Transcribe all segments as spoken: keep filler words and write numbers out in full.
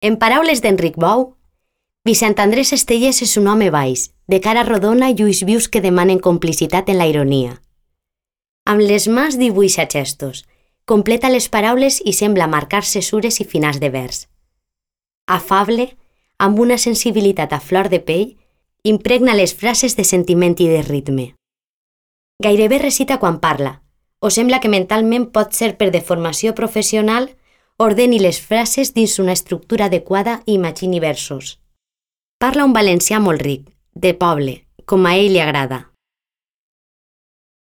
En paraules d'Enric Bou, Vicent Andrés Estellés és un home baix, de cara rodona i ulls vius que demanen complicitat en la ironia. Amb les mans dibuixa gestos, completa les paraules i sembla marcar cesures i finals de vers. Afable, amb una sensibilitat a flor de pell, impregna les frases de sentiment i de ritme. Gairebé recita quan parla, o sembla que mentalment pot ser per deformació professional, ordeni les frases dins una estructura adequada i imagini versos. Parla un valencià molt ric, de poble, com a ell li agrada.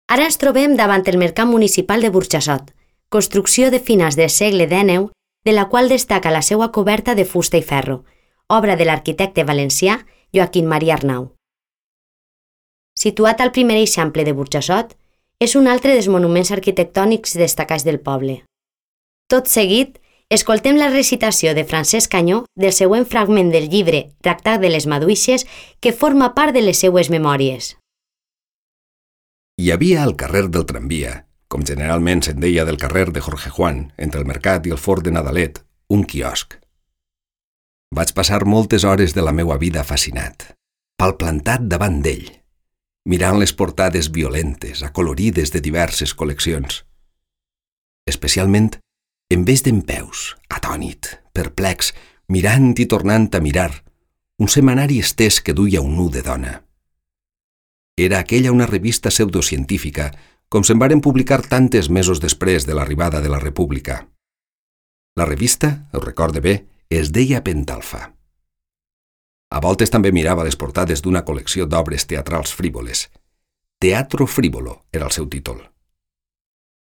Ara ens trobem davant el Mercat Municipal de Burjassot, construcció de finals del segle dènou, de la qual destaca la seva coberta de fusta i ferro, obra de l'arquitecte valencià Joaquim Maria Arnau. Situat al primer eixample de Burjassot, és un altre dels monuments arquitectònics destacats del poble. Tot seguit, escoltem la recitació de Francesc Canyó del següent fragment del llibre Tractat de les Maduixes que forma part de les seues memòries. Hi havia al carrer del Tramvia, com generalment se'n deia del carrer de Jorge Juan, entre el mercat i el fort de Nadalet, un quiosc. Vaig passar moltes hores de la meua vida fascinat, palplantat davant d'ell, mirant les portades violentes, acolorides de diverses col·leccions. Especialment, en vez d'empeus, atònit, perplex, mirant i tornant a mirar, un setmanari estès que duia un nu de dona. Era aquella una revista pseudocientífica, com se'n varen publicar tantes mesos després de l'arribada de la República. La revista, ho recorde bé, es deia Pentalfa. A voltes també mirava les portades d'una col·lecció d'obres teatrals frívoles. Teatro frívolo era el seu títol.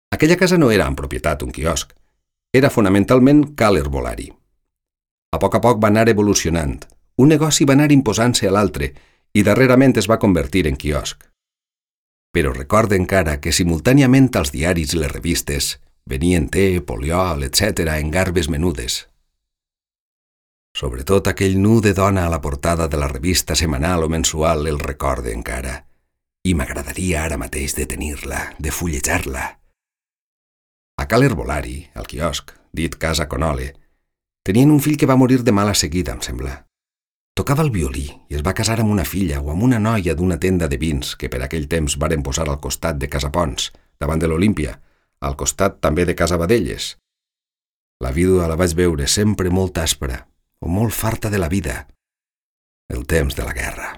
Aquella casa no era en propietat un quiosc, era fonamentalment cal herbolari. A poc a poc va anar evolucionant, un negoci va anar imposant-se a l'altre i darrerament es va convertir en quiosc. Però recorde encara que simultàniament als diaris i les revistes venien te, poliol, etcètera en garbes menudes. Sobretot aquell nu de dona a la portada de la revista setmanal o mensual el recorde encara, i m'agradaria ara mateix de tenir-la, de fullejar-la. A cal herbolari, al quiosc, dit Casa Conole, tenien un fill que va morir de mala seguida, em sembla. Tocava el violí i es va casar amb una filla o amb una noia d'una tenda de vins que per aquell temps varen posar al costat de Casa Pons, davant de l'Olímpia, al costat també de Casa Badelles. La vídua la vaig veure sempre molt àspera o molt farta de la vida, el temps de la guerra.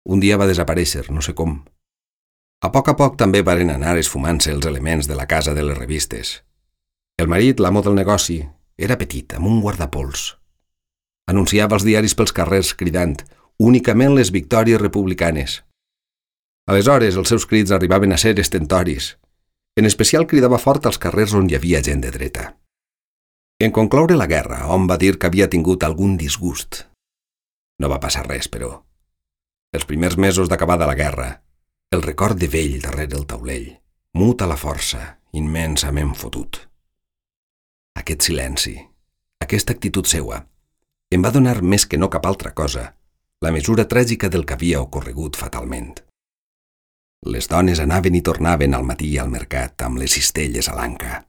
Un dia va desaparèixer, no sé com. A poc a poc també varen anar esfumant-se els elements de la casa de les revistes. El marit, l'amo del negoci, era petit, amb un guardapols. Anunciava els diaris pels carrers cridant únicament les victòries republicanes. Aleshores els seus crits arribaven a ser estentoris. En especial cridava fort als carrers on hi havia gent de dreta. En concloure la guerra, hom va dir que havia tingut algun disgust. No va passar res, però. Els primers mesos d'acabada la guerra, el record de vell darrere el taulell, mut a la força, immensament fotut. Aquest silenci, aquesta actitud seua, em va donar més que no cap altra cosa la mesura tràgica del que havia ocorregut fatalment. Les dones anaven i tornaven al matí al mercat amb les cistelles a l'anca.